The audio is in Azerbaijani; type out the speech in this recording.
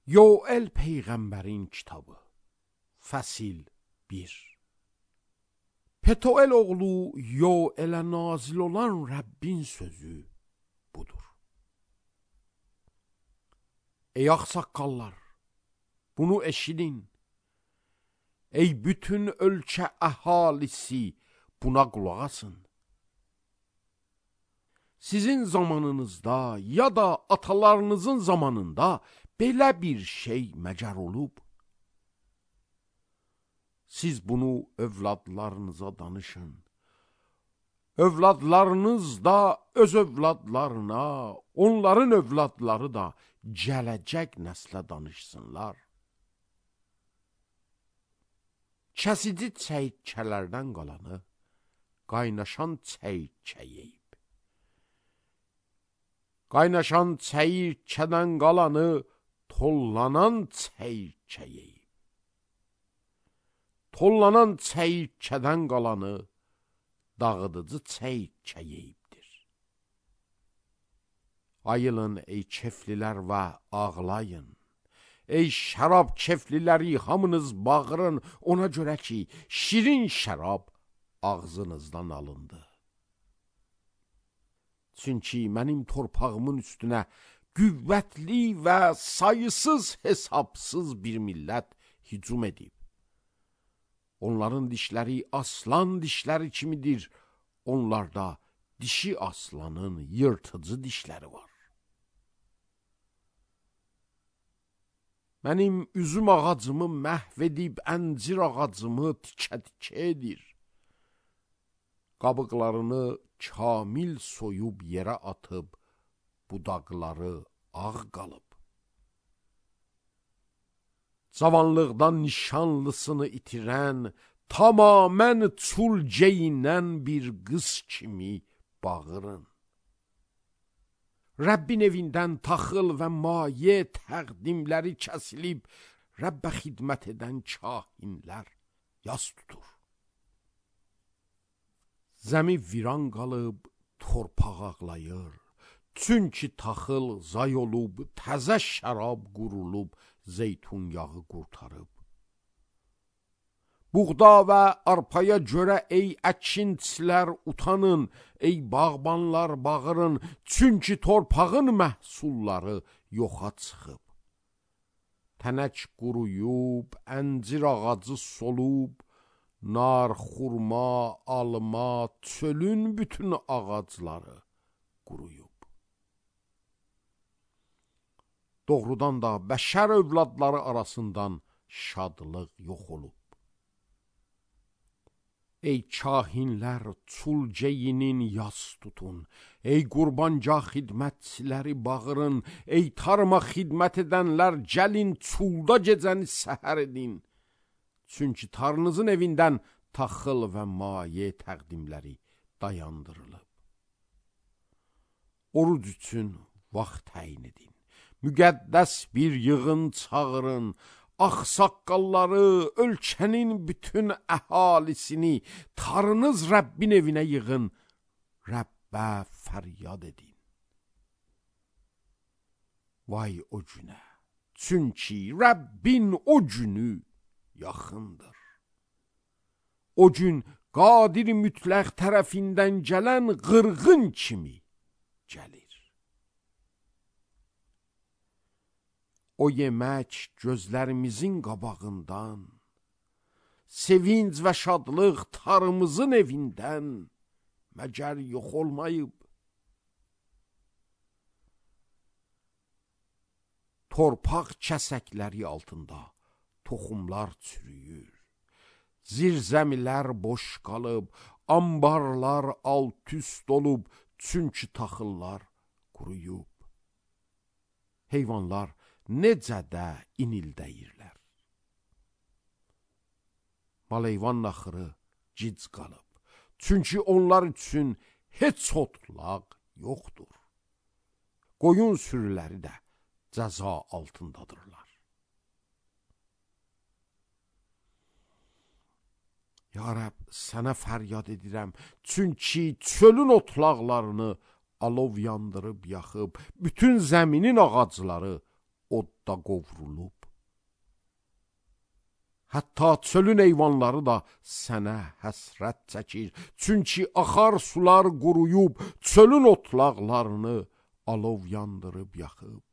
Yoel Peyğəmbərin kitabı Fəsil 1 Petuel oğlu Yoelə nazil olan Rəbbin sözü budur. Ey ağsaqqallar, bunu eşidin. Ey bütün ölkə əhalisi, buna qulaq asın. Sizin zamanınızda ya da atalarınızın zamanında belə bir şey məcər olub. Siz bunu övladlarınıza danışın. Övladlarınız da öz övladlarına, onların övladları da gələcək nəslə danışsınlar. Kəsici çəyirtkələrdən qalanı qaynaşan çəyirtkə yeyib. Qaynaşan çəyirtkədən qalanı tollanan çəyirtkə yeyib. Tollanan çəyirtkədən qalanı dağıdıcı çəyirtkə yeyibdir. Ayılın ey keflilər və ağlayın. Ey şərab kefliləri, hamınız bağırın, ona görə ki, şirin şərab ağzınızdan alındı. Çünki mənim torpağımın üstünə qüvvətli və sayısız hesabsız bir millət hücum edib. Onların dişləri aslan dişləri kimidir, onlarda dişi aslanın yırtıcı dişləri var. Mənim üzüm ağacımı məhv edib, əncir ağacımı tikə-tikə edir. Qabıqlarını kamil soyub yerə atıb, budaqları ağ qalıb. Cavanlıqdan nişanlısını itirən, tamamən çul geyinən bir qız kimi bağırın. Rəbbin evindən taxıl və maye təqdimləri kəsilib, Rəbbə xidmət edən kahinlər yas tutur. Zəmi viran qalıb, torpaq ağlayır. Çünki taxıl zay olub, təzə şərab qurulub, zeytun yağı qurtarıb. Buğda və arpaya görə ey əkinçilər utanın, ey bağbanlar bağırın, çünki torpağın məhsulları yoxa çıxıb. Tənək quruyub, əncir ağacı solub, nar, xurma, alma, çölün bütün ağacları quruyub. Doğrudan da bəşər övladları arasından şadlıq yox olub. Ey kahinlər, çul geyinin yas tutun. Ey qurbancaq xidmətçiləri bağırın. Ey tarıma xidmət edənlər, gəlin çulda gecəni səhər edin. Çünki tarınızın evindən taxıl və maye təqdimləri dayandırılıb. Oruc üçün vaxt təyin edin. Müqəddəs bir yığın çağırın. Ağsaqqalları, ölkənin bütün əhalisini tarınız Rəbbin evinə yığın, Rəbbə fəryad edin. Vay o günə, çünki Rəbbin o günü yaxındır. O gün qadir mütləq tərəfindən gələn qırğın kimi gəlir. O yemək gözlərimizin qabağından, sevinc və şadlıq tarımızın evindən məgər yox olmayıb. Torpaq kəsəkləri altında toxumlar çürüyür. Zirzəmilər boş qalıb, ambarlar alt-üst olub, çünki taxıllar quruyub. Heyvanlar necə də inildəyirlər. Maleyvan naxırı gic qalıb, çünki onlar üçün heç otlaq yoxdur. Qoyun sürüləri də cəza altındadırlar. Ya Rəbb, sənə fəryad edirəm, çünki çölün otlaqlarını alov yandırıb yaxıb, bütün zəminin ağacları odda qovrulub. Hətta çölün heyvanları da sənə həsrət çəkir. Çünki axar sular quruyub, çölün otlaqlarını alov yandırıb yaxıb.